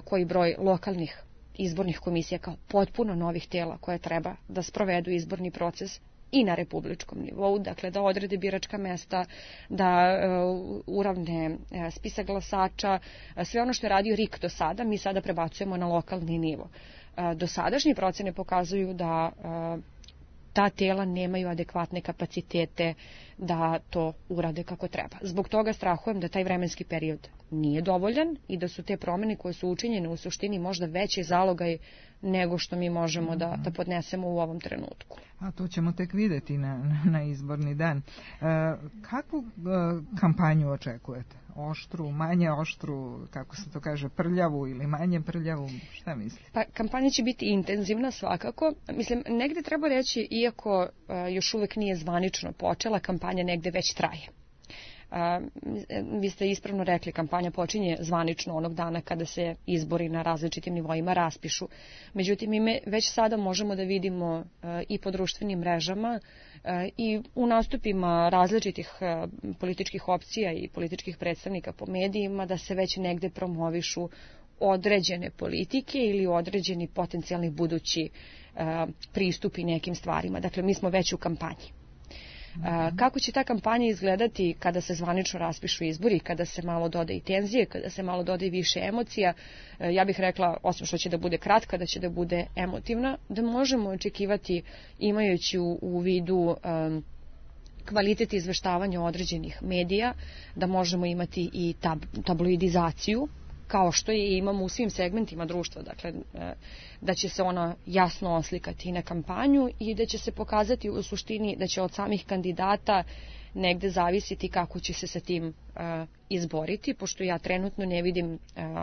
S17: koji broj lokalnih izbornih komisija kao potpuno novih tela koje treba da sprovedu izborni proces i na republičkom nivou, dakle da odrede biračka mesta, da uh, uravne uh, spisak glasača, uh, sve ono što je radio R I K do sada, mi sada prebacujemo na lokalni nivo. Uh, dosadašnje procene pokazuju da uh, ta tela nemaju adekvatne kapacitete da to urade kako treba. Zbog toga strahujem da taj vremenski period nije dovoljan i da su te promene koje su učinjene u suštini možda veći zalogaj nego što mi možemo da, da podnesemo u ovom trenutku.
S18: A to ćemo tek vidjeti na, na izborni dan. E, kakvu e, kampanju očekujete oštru, manje oštru, kako se to kaže, prljavu ili manje prljavu, šta mislite?
S17: Pa kampanja će biti intenzivna svakako. Mislim, negde treba reći, iako uh, još uvek nije zvanično počela, kampanja negde već traje. Uh, vi ste ispravno rekli, kampanja počinje zvanično onog dana kada se izbori na različitim nivoima raspišu. Međutim, mi već sada možemo da vidimo uh, i po društvenim mrežama uh, i u nastupima različitih uh, političkih opcija i političkih predstavnika po medijima da se već negde promovišu određene politike ili određeni potencijalni budući uh, pristupi nekim stvarima. Dakle, mi smo već u kampanji. Uh, kako će ta kampanja izgledati kada se zvanično raspišu izbori, kada se malo doda i tenzije, kada se malo doda i više emocija, uh, ja bih rekla, osim što će da bude kratka, da će da bude emotivna, da možemo očekivati, imajući u, u vidu um, kvalitet izveštavanja određenih medija, da možemo imati i tab, tabloidizaciju, kao što je imamo u svim segmentima društva, dakle da će se ona jasno oslikati i na kampanju i da će se pokazati u suštini da će od samih kandidata negde zavisiti kako će se sa tim uh, izboriti, pošto ja trenutno ne vidim uh,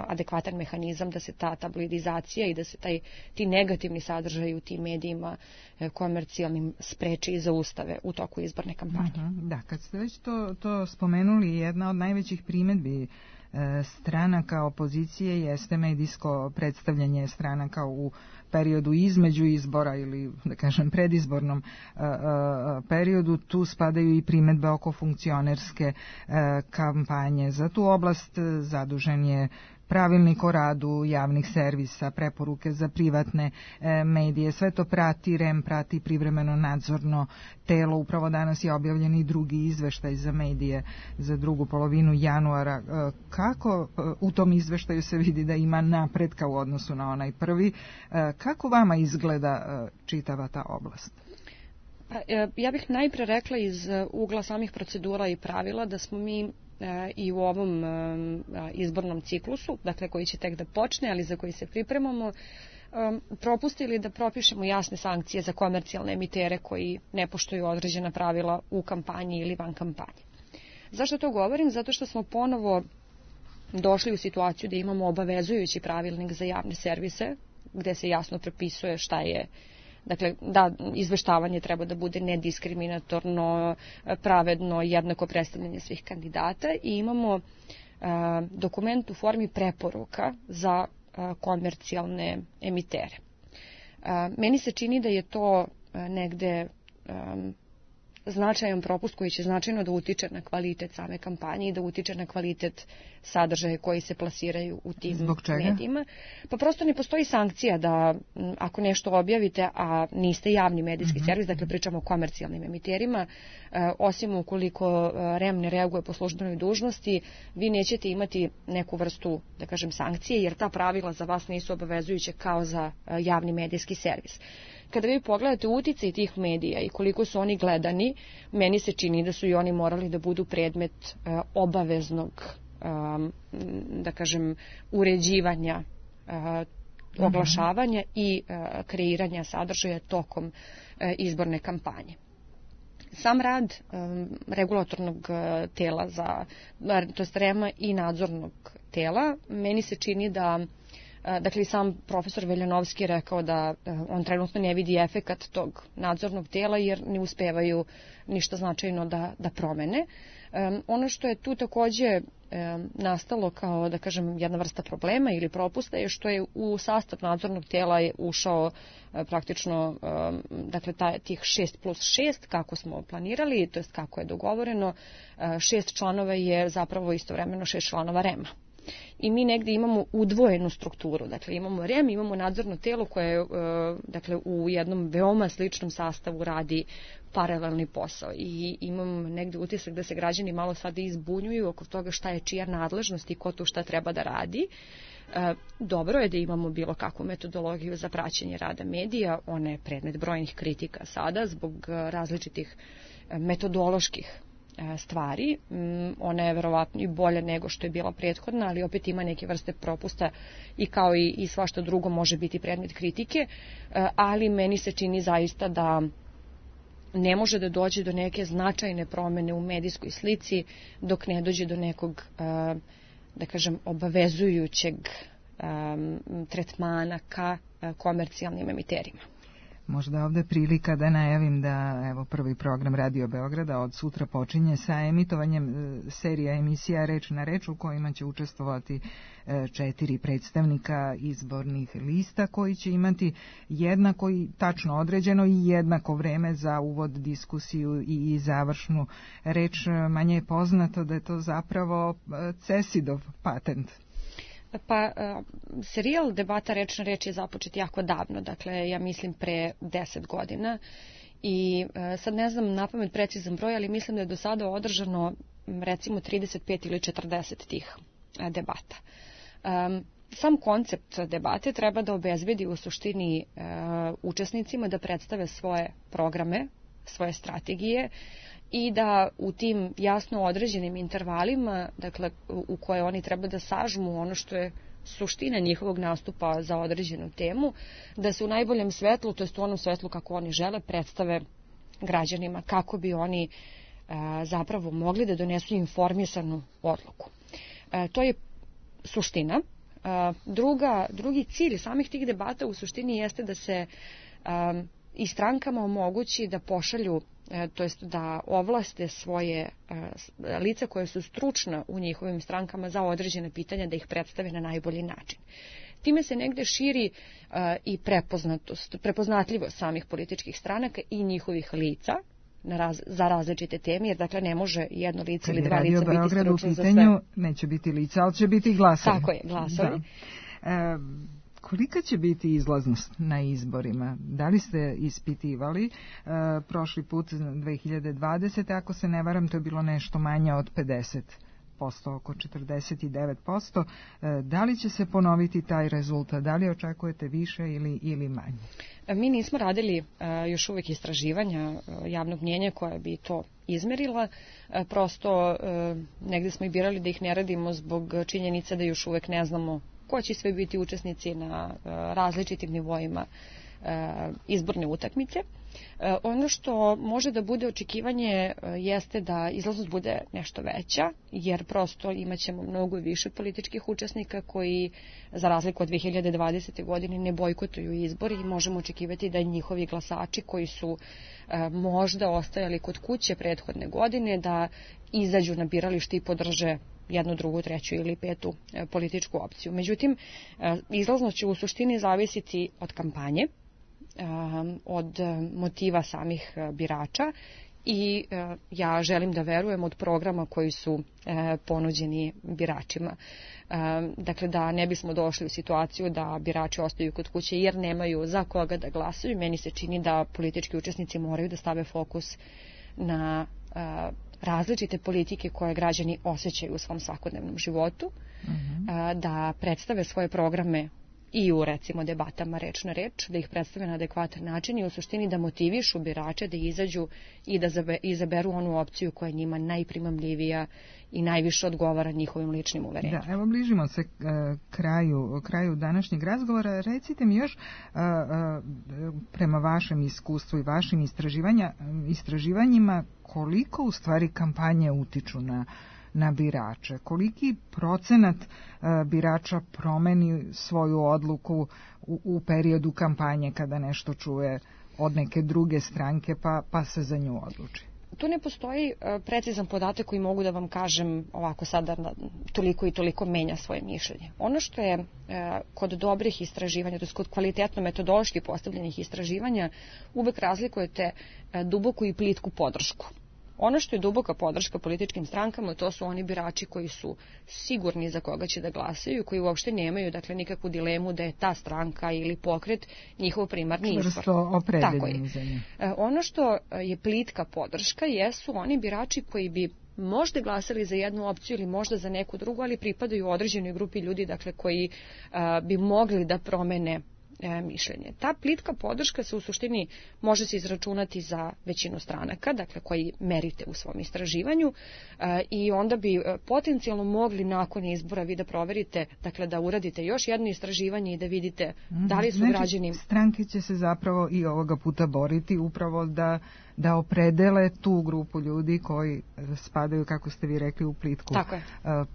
S17: adekvatan mehanizam da se ta tabloidizacija i da se taj, ti negativni sadržaji u tim medijima uh, komercijalnim spreče i zaustave u toku izborne kampanje.
S18: Uh-huh. Da, kad ste već to, to spomenuli, jedna od najvećih primedbi stranaka opozicije jeste medijsko predstavljanje stranaka u periodu između izbora ili, da kažem, predizbornom uh, uh, periodu. Tu spadaju i primedbe oko funkcionerske uh, kampanje. Za tu oblast zadužen je pravilnik o radu javnih servisa, preporuke za privatne e, medije. Sve to prati R E M, prati privremeno nadzorno telo. Upravo danas je objavljen i drugi izveštaj za medije za drugu polovinu januara. E, kako e, u tom izveštaju se vidi da ima napretka u odnosu na onaj prvi? E, kako vama izgleda e, čitava ta oblast?
S17: Pa, e, ja bih najpre rekla iz ugla samih procedura i pravila da smo mi i u ovom izbornom ciklusu, dakle koji će tek da počne, ali za koji se pripremamo, propustili da propišemo jasne sankcije za komercijalne emitere koji ne poštuju određena pravila u kampanji ili van kampanje. Zašto to govorim? Zato što smo ponovo došli u situaciju da imamo obavezujući pravilnik za javne servise, gde se jasno propisuje šta je. Dakle, da, izveštavanje treba da bude nediskriminatorno, pravedno, jednako predstavljanje svih kandidata i imamo a, dokument u formi preporuka za a, komercijalne emitere. A, meni se čini da je to a, negde a, značajan propust koji će značajno da utiče na kvalitet same kampanje i da utiče na kvalitet sadržaja koji se plasiraju u tim medijima. Pa prosto ne postoji sankcija da ako nešto objavite, a niste javni medijski mm-hmm. servis, dakle pričamo o komercijalnim emiterima, osim ukoliko R E M ne reaguje po službenoj dužnosti, vi nećete imati neku vrstu, da kažem, sankcije, jer ta pravila za vas nisu obavezujuće kao za javni medijski servis. Kada vi pogledate uticaj tih medija i koliko su oni gledani, meni se čini da su i oni morali da budu predmet uh, obaveznog, um, da kažem, uređivanja, uh, oglašavanja mm-hmm. i uh, kreiranja sadržaja tokom uh, izborne kampanje. Sam rad um, regulatornog uh, tela, za, to jest R E M-a i nadzornog tela, meni se čini da Dakle, i sam profesor Veljanovski je rekao da on trenutno ne vidi efekat tog nadzornog tela jer ne uspevaju ništa značajno da, da promene. Um, ono što je tu takođe um, nastalo kao, da kažem, jedna vrsta problema ili propusta je što je u sastav nadzornog tela je ušao uh, praktično um, dakle, taj, tih šest plus šest kako smo planirali, to jest kako je dogovoreno. Uh, šest članova je zapravo istovremeno šest članova R E M-a. I mi negde imamo udvojenu strukturu, dakle imamo R E M, imamo nadzorno telo koje dakle, u jednom veoma sličnom sastavu radi paralelni posao i imam negde utisak da se građani malo sada izbunjuju oko toga šta je čija nadležnost i ko tu šta treba da radi. Dobro je da imamo bilo kakvu metodologiju za praćenje rada medija, ona je predmet brojnih kritika sada zbog različitih metodoloških stvari. Ona je verovatno i bolja nego što je bila prethodna, ali opet ima neke vrste propusta i kao i, i svašta drugo može biti predmet kritike, ali meni se čini zaista da ne može da dođe do neke značajne promene u medijskoj slici dok ne dođe do nekog, da kažem, obavezujućeg tretmana ka komercijalnim emiterima.
S18: Možda ovde prilika da najavim da evo prvi program Radio Beograda od sutra počinje sa emitovanjem serija emisija Reč na reč u kojima će učestvovati četiri predstavnika izbornih lista koji će imati jednako i tačno određeno i jednako vreme za uvod, diskusiju i završnu reč. Manje je poznato da je to zapravo Cesidov patent.
S17: Pa, serijal debata Reč na reč je započet jako davno, dakle, ja mislim pre deset godina i sad ne znam napamet precizan broj, ali mislim da je do sada održano recimo trideset pet ili četrdeset tih debata. Sam koncept debate treba da obezbedi u suštini učesnicima da predstave svoje programe, svoje strategije i da u tim jasno određenim intervalima, dakle, u koje oni treba da sažmu ono što je suština njihovog nastupa za određenu temu, da se u najboljem svetlu, to jest u onom svetlu kako oni žele, predstave građanima kako bi oni a, zapravo mogli da donesu informisanu odluku. A, to je suština. A, druga, drugi cilj samih tih debata u suštini jeste da se a, i strankama omogući da pošalju, to jest da ovlaste svoje lica koje su stručna u njihovim strankama za određene pitanja da ih predstave na najbolji način. Time se negde širi i prepoznatost, prepoznatljivost samih političkih stranaka i njihovih lica na raz, za različite teme, jer dakle ne može jedno lice ili dva lica biti stručno za sve.
S18: Pitanju neće biti lica, ali će biti glasovi.
S17: Tako je, glasovi.
S18: Da. E, Kolika će biti izlaznost na izborima? Da li ste ispitivali? E, prošli put dve hiljade dvadesete. ako se ne varam, to je bilo nešto manje od pedeset posto, oko četrdeset devet posto. E, da li će se ponoviti taj rezultat? Da li očekujete više ili, ili manje?
S17: Mi nismo radili e, još uvijek istraživanja e, javnog mnjenja koja bi to izmerila. E, prosto e, negde smo i birali da ih ne radimo zbog činjenice da još uvijek ne znamo ko će sve biti učesnici na uh, različitim nivoima uh, izborne utakmice. Uh, ono što može da bude očekivanje uh, jeste da izlaznost bude nešto veća, jer prosto imaćemo mnogo više političkih učesnika koji, za razliku od dve hiljade dvadesete. godine, ne bojkotuju izbori i možemo očekivati da njihovi glasači koji su uh, možda ostajali kod kuće prethodne godine, da izađu na biralište i podrže jednu, drugu, treću ili petu e, političku opciju. Međutim, e, izlaznost će u suštini zavisiti od kampanje, e, od motiva samih e, birača i e, ja želim da verujem od programa koji su e, ponuđeni biračima. E, dakle, da ne bismo došli u situaciju da birači ostaju kod kuće jer nemaju za koga da glasaju. Meni se čini da politički učesnici moraju da stave fokus na e, različite politike koje građani osjećaju u svom svakodnevnom životu, uh-huh. da predstave svoje programe i u, recimo, debatama Reč na reč, da ih predstave na adekvatan način i u suštini da motivišu birače da izađu i da izaberu onu opciju koja je njima najprimamljivija i najviše odgovara njihovim ličnim uverenjima.
S18: Da, evo bližimo se uh, kraju, kraju današnjeg razgovora. Recite mi još, uh, uh, prema vašem iskustvu i vašim istraživanja, istraživanjima, koliko u stvari kampanje utiču na, na birače? Koliki procenat uh, birača promeni svoju odluku u, u periodu kampanje kada nešto čuje od neke druge stranke pa, pa se za nju odluči?
S17: Tu ne postoji uh, precizan podatak koji mogu da vam kažem ovako sada na, toliko i toliko menja svoje mišljenje. Ono što je uh, kod dobrih istraživanja, to je kod kvalitetno metodološki postavljenih istraživanja, uvek razlikujete uh, duboku i plitku podršku. Ono što je duboka podrška političkim strankama, to su oni birači koji su sigurni za koga će da glasaju, koji uopšte nemaju, dakle, nikakvu dilemu da je ta stranka ili pokret njihov primarni izbor.
S18: Čvrsto opredeljeni za nju.
S17: Ono što je plitka podrška jesu oni birači koji bi možda glasali za jednu opciju ili možda za neku drugu, ali pripadaju određenoj grupi ljudi, dakle, koji a, bi mogli da promene mišljenje. Ta plitka podrška se u suštini može se izračunati za većinu stranaka, dakle koji merite u svom istraživanju i onda bi potencijalno mogli nakon izbora vi da proverite, dakle da uradite još jedno istraživanje i da vidite da li su
S18: znači,
S17: građani...
S18: Stranke će se zapravo i ovoga puta boriti upravo da da opredele tu grupu ljudi koji spadaju, kako ste vi rekli, u plitku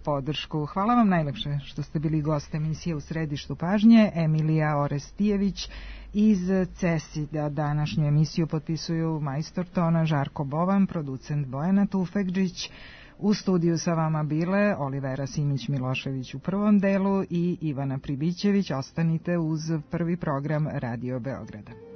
S18: podršku. Hvala vam najlepše što ste bili gost emisije U središtu pažnje. Emilija Orestijević iz CESID-a. Današnju emisiju potpisuju majstor tona Žarko Bovan, producent Bojana Tufekđić. U studiju sa vama bile Olivera Simić-Milošević u prvom delu i Ivana Pribićević. Ostanite uz prvi program Radio Beograda.